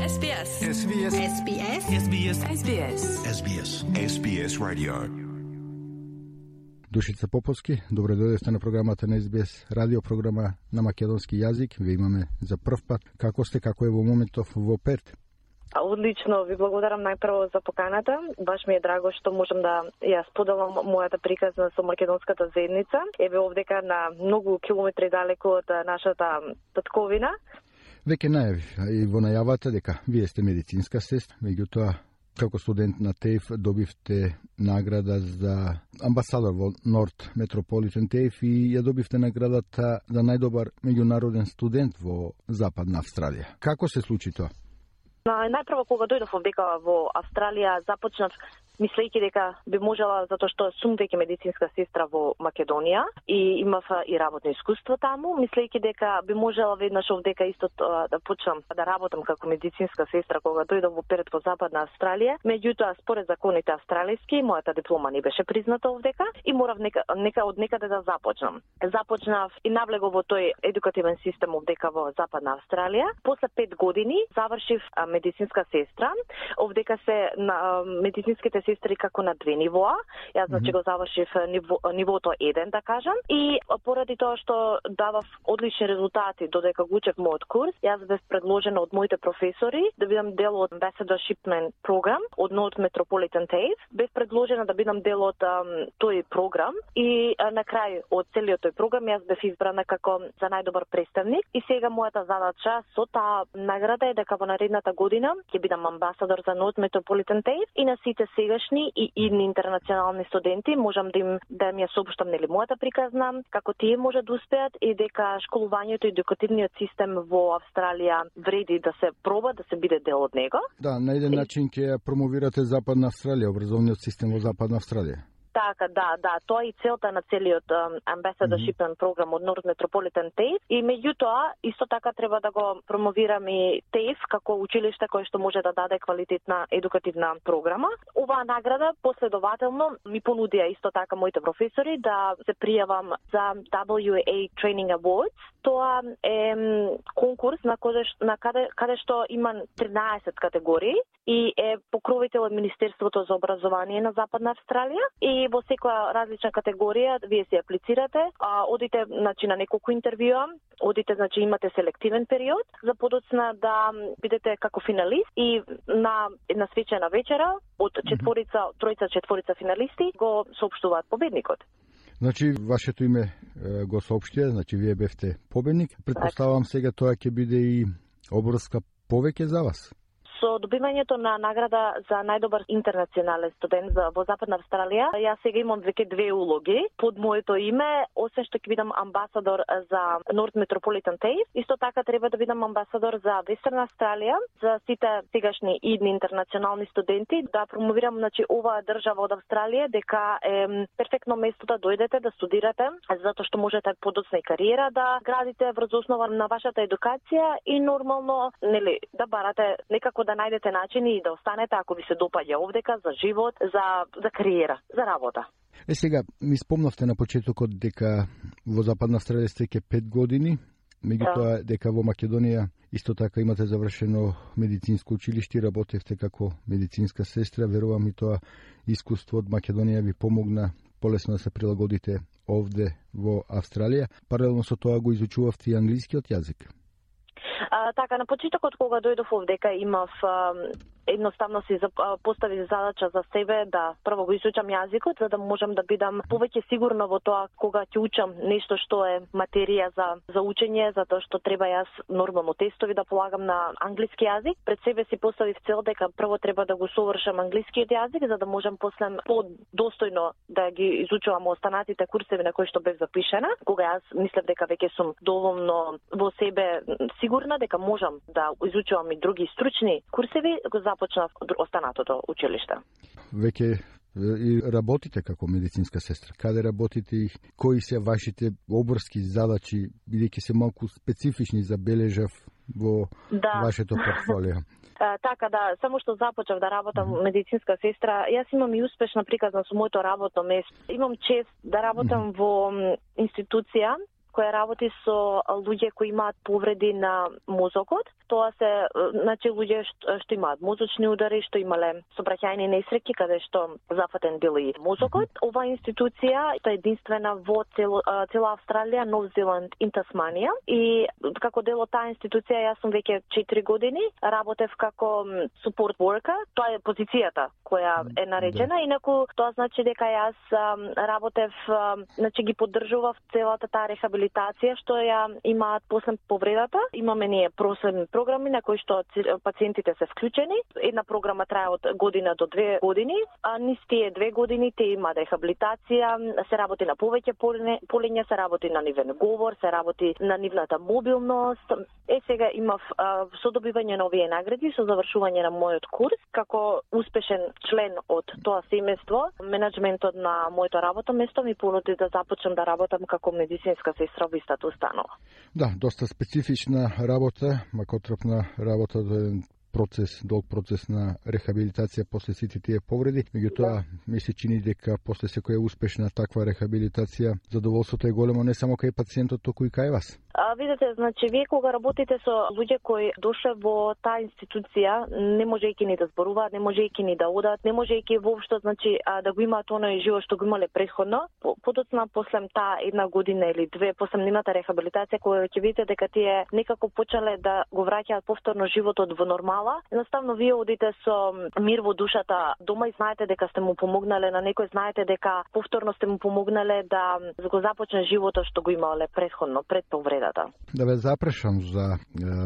SBS. SBS. SBS. SBS. SBS. SBS. SBS Radio. Душица Поповски, добре дојдовте на програмата на SBS, радио програма на македонски јазик. Ве имаме за прв пат. Како сте, како е во моментов во Перт? Одлично, ви благодарам најпрво за поканата. Баш ми е драго што можам да ја споделам мојата приказна со македонската заедница. Еве овдека на многу километри далеку од нашата татковина. Веќе најави и во најавата дека вие сте медицинска сестра, меѓутоа како студент на ТЕИФ добивте награда за амбасадор во Норт Метрополитен ТЕИФ и ја добивте наградата за најдобар меѓународен студент во Западна Австралија. Како се случи тоа? Најпрво кога дојдов овдека во Австралија започнав мислејќи дека би можела, затоа што сум веќе медицинска сестра во Македонија и имав и работно искуство таму, мислејќи дека би можела веднаш овдека исто да почнам да работам како медицинска сестра кога дојдов во Перт во Западна Австралија. Меѓутоа, според законите австралиски, мојата диплома не беше призната овдека и морав од некаде да започнам. Започнав и навлегов во тој едукативен систем овдека во Западна Австралија. После 5 години завршив медицинска сестра. Овдека се на медицинските сестри како на 2 нивоа. Јас значи го завршив нивото 1, да кажам. И поради тоа што давав одлични резултати додека го учев мојот курс, јас бев предложена од моите професори да бидам дел од Ambassadorship програм од North Metropolitan TAFE. Бев предложена да бидам дел од тој програм и на крај од целиот тој програм јас бев избрана како за најдобар представник. И сега мојата задача со таа награда е дека во наредната година ќе бидам амбасадор за North Metropolitan TAFE и на сите сегашни и идни интернационални студенти можам да им ја соопштам нели мојата приказна, како тие може да успеат и дека школувањето и едукативниот систем во Австралија вреди да се проба да се биде дел од него. Да, на еден начин ќе ја промовирате Западна Австралија, образовниот систем во Западна Австралија. Така, да, тоа е и целта на целиот Ambassadorship програм од North Metropolitan TAFE и меѓутоа исто така треба да го промовираме и TAFE како училиште кое што може да даде квалитетна едукативна програма. Оваа награда последователно ми понудија исто така моите професори да се пријавам за WA Training Awards. Тоа е конкурс на каде што има 13 категории и е покровител од Министерството за образование на Западна Австралија и во секоја различна категорија вие се аплицирате, одите значи на неколку интервјуа, одите значи имате селективен период за подоцна да бидете како финалист и на една свечена вечера од тројца финалисти го соопштуваат победникот. Значи, вашето име го соопштија, значи вие бевте победник. Претпоставам сега тоа ќе биде и обврска повеќе за вас. Со добивањето на награда за најдобар интернационален студент во Западна Австралија, јас сега имам веќе 2 улоги под моето име, освен што ќе бидам амбасадор за North Metropolitan TAFE, исто така треба да бидам амбасадор за Вестерна Австралија, за сите сегашни идни интернационални студенти, да промовирам значи оваа држава од Австралија дека е перфектно место да дојдете да студирате, затоа што можете подоцна и кариера да градите врз основа на вашата едукација и нормално нели да барате некако да најдете начини и да останете ако ви се допаѓа овдека за живот, за кариера, за работа. Сега, ми спомнавте на почетокот дека во Западна Австралија сте ке 5 години, меѓутоа дека во Македонија исто така имате завршено медицинско училиште, работевте како медицинска сестра, верувам и тоа искуство од Македонија ви помогна полесно да се прилагодите овде во Австралија. Паралелно со тоа го изучувавте и англискиот јазик. Така, на почетокот кога дојдов овдека имав едноставно си поставив задача за себе да прво го изучам јазикот за да можам да бидам повеќе сигурна во тоа кога ќе учам нешто што е материја за учење, затоа што треба јас нормално тестови да полагам на англиски јазик. Пред себе си поставив цел дека прво треба да го совршам англискиот јазик за да можам после подостојно да ги изучувам останатите курсеви на кои што бев запишана. Кога јас мислев дека веќе сум доволно во себе сигурна дека можам да изучувам и други стручни курсеви, го започнав останатото училиште. Веќе и работите како медицинска сестра. Каде работите и кои се вашите обврски задачи, бидејќи се малку специфични забележав во вашето портфолио? Така да, само што започнав да работам медицинска сестра, јас имам и успешна приказна со моето работно место. Имам чест да работам во институција која работи со луѓе кои имаат повреди на мозокот. Тоа се луѓе што имаат мозочни удари, што имале сообраќајни несреќи каде што зафатен бил и мозокот. Ова институција е единствена во цела Австралија, Нов Зеланд и Тасманија. И како дел од таа институција јас сум веќе 4 години, работев како support worker. Тоа е позицијата која е наречена, инаку тоа значи дека јас работев, ги поддржував целата таа рехабилитација што ја имаат после повредата. Имаме ние проследни програми на кои што пациентите се вклучени. Една програма трае од година до 2 години, а низ тие 2 години те има рехабилитација, се работи на повеќе полиња, се работи на нивен говор, се работи на нивната мобилност. Сега имав со добивање на овие награди, со завршување на мојот курс, како успешен член од тоа семејство, менаџментот на моето работно место ми понуди да започнам да работам како медицинска сестра во истата установа. Да, доста специфична работа, макотрапна работа, долг процес на рехабилитација после сите тие повреди. Меѓутоа, ми се чини дека после секоја успешна таква рехабилитација, задоволството е големо не само кај пациентот, туку и кај вас. Видете, вие кога работите со луѓе кои дошле во таа институција, не можејќи ни да зборуваат, не можејќи ни да одат, не можејќи воопшто да го имаат оној живот што го имале претходно, подоцна после таа 1 година или 2 после нивната рехабилитација, кога ќе видите дека тие некако почнале да го враќаат повторно животот во нормала, едноставно вие одите со мир во душата дома и знаете дека сте му помогнале на некој, знаете дека повторно сте му помогнале да го започне животот што го имале претходно, пред повредата. Да ве запрашам за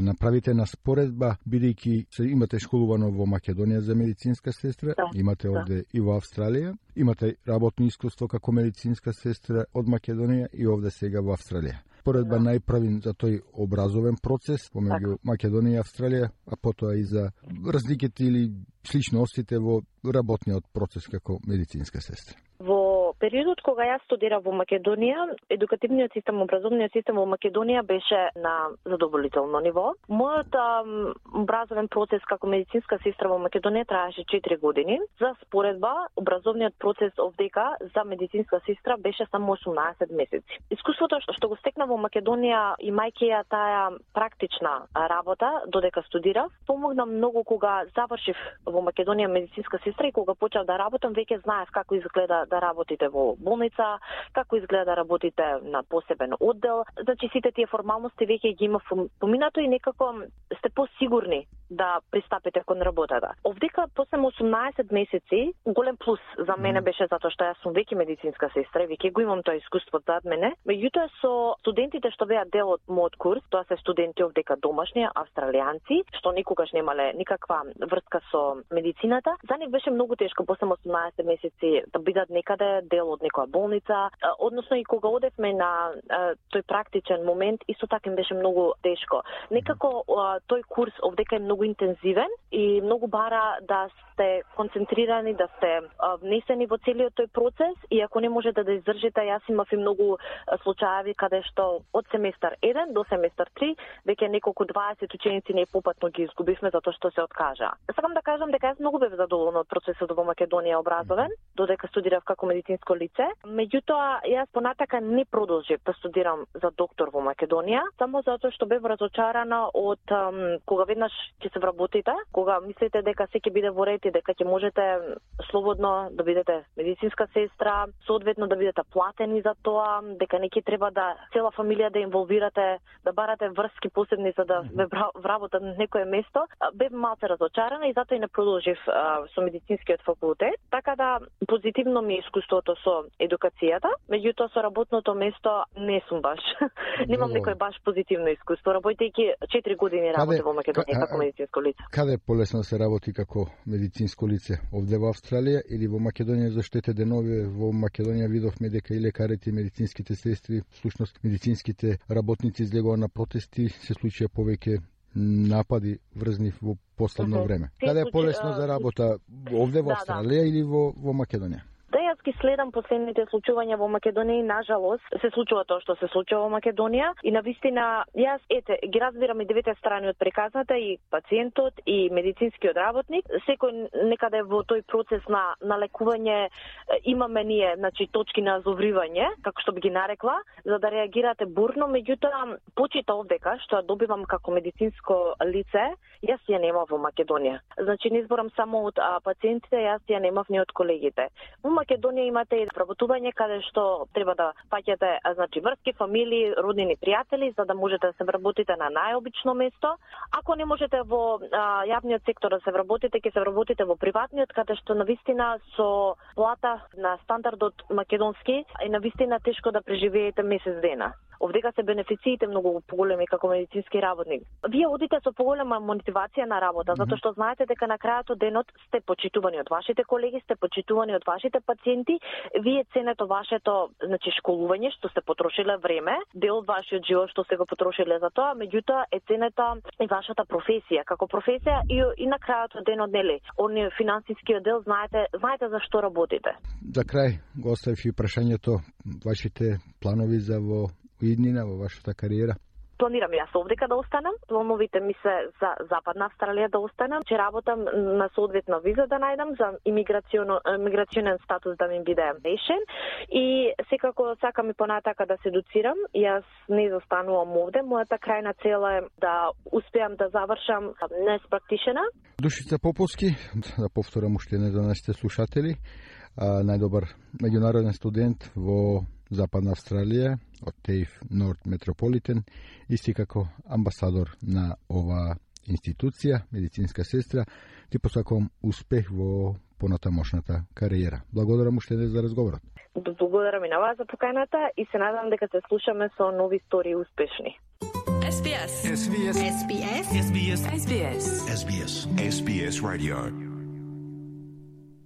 направите на споредба, бидејќи се имате школувано во Македонија за медицинска сестра, имате овде и во Австралија, имате работно искуство како медицинска сестра од Македонија и овде сега во Австралија. Споредба најправим за тој образовен процес помеѓу Македонија и Австралија, а потоа и за разликите или сличностите во работниот процес како медицинска сестра. Во периодот кога јас студирав во Македонија, едукативниот систем, образовниот систем во Македонија беше на задоволително ниво. Мојот образовен процес како медицинска сестра во Македонија траеше 4 години. За споредба, образовниот процес овдека за медицинска сестра беше само 18 месеци. Искуството што го стекнав во Македонија, имајќи ја таа практична работа додека студирав, помогна многу кога завршив во Македонија медицинска сестра и кога почнав да работам, веќе знаев како изгледа да работите во болница, како изгледа да работите на посебен оддел. Сите тие формалности веќе ги има поминато и некако сте посигурни да пристапите кон работата. Овдека после 18 месеци, голем плюс за мене беше затоа што јас сум веќе медицинска сестра, веќе го имам тоа искуство зад мене. Меѓутоа со студентите што беа дел од мојот курс, тоа се студенти овдека домашни, австралијанци, што никогаш немале никаква врска со медицината, за нив беше многу тешко после 18 месеци да бидат некаде дел од некоја болница, односно и кога одевме на тој практичен момент, исто така им беше многу тешко. Некако тој курс овдека е многу интензивен и многу бара да сте концентрирани, да сте внесени во целиот тој процес и ако не може да издржите, јас имав и многу случаи каде што од семестар 1 до семестар 3 веќе неколку 20 ученици непопатно ги изгубивме затоа што се откажа. Сакам да кажам дека јас многу бев задоволна од процесот во Македонија образовен, додека студирав како медицинско лице. Меѓутоа, јас понатака не продолжив да студирам за доктор во Македонија, само затоа што бев разочарана од кога веднаш ќе се вработите, кога мислите дека се ќе биде во ред и дека ќе можете слободно да бидете медицинска сестра, соодветно да бидете платени за тоа, дека не ќе треба да цела фамилија да инволвирате, да барате врски посебни за да ве вработат на некое место, бев малце разочарана и затоа и не продолжив со медицинскиот факултет. Така да позитивно ми е искуството со едукацијата, меѓутоа со работното место не сум баш. Немам некој баш позитивно искуство, работејќи 4 години работе во Македонија како медицинско лице. Каде е полесно се работи како медицинско лице? Овде во Австралија или во Македонија? Зашто ете денови во Македонија видовме дека и лекарите и медицинските сестри, всушност медицинските работници излегоа на протести, се случија повеќе напади врзни во последно време. Каде е полесно за работа? Овде во Австралија или во Македонија? Да, јас ги следам последните случувања во Македонија и нажалост се случува тоа што се случува во Македонија и навистина јас ги разбирам и двете страни од приказната, и пациентот и медицинскиот работник. Секој некаде во тој процес на лекување имаме ние, значи точки на азовривање, како што би ги нарекла, за да реагирате бурно, меѓутоа почита овдека што ја добивам како медицинско лице, јас ја немав во Македонија. Значи не зборам само од пациентите, јас ја немав ни од колегите. Во Македонија имате и вработување каде што треба да паѓате, значи врски, фамилии, роднини, пријатели, за да можете да се вработите на најобично место. Ако не можете во јавниот сектор да се вработите, ќе се вработите во приватниот, каде што навистина со плата на стандардот македонски е навистина тешко да преживеете месец дена. Овдека се бенефициите многу поголеми како медицински работник. Вие одите со поголема мотивација на работа, затоа што знаете дека на крајот од денот сте почитувани од вашите колеги, сте почитувани од вашите пациенти, вие ценете вашето, значи школување што сте потрошиле време, дел од вашиот живот што сте го потрошиле за тоа, меѓутоа е ценета и вашата професија, како професија и на крајот од денот, нели, они финансискиот дел знаете за што работите. За крај го оставив и прашањето, вашите планови за во иднина во вашата кариера? Планирам јас овдека да останам, плановите ми се за Западна Австралија да останам, че работам на соодветна виза да најдам за имиграционен статус да ми биде решен и секако сакам и понатака да се едуцирам. Јас не застанувам овде, мојата крајна цел е да успеам да завршам nurse practitioner. Душица Поповски, да повторам уште не за нашите слушатели, најдобар меѓународен студент во Западна Австралија од TAFE North Metropolitan, исти како амбасадор на ова институција, медицинска сестра. Ти посакувам успех во понатамошната кариера. Благодарам уште за разговорот. Благодарам и на вас за поканата и се надам дека се слушаме со нови истории успешни. SBS. SBS. SBS. SBS. SBS. SBS Radio.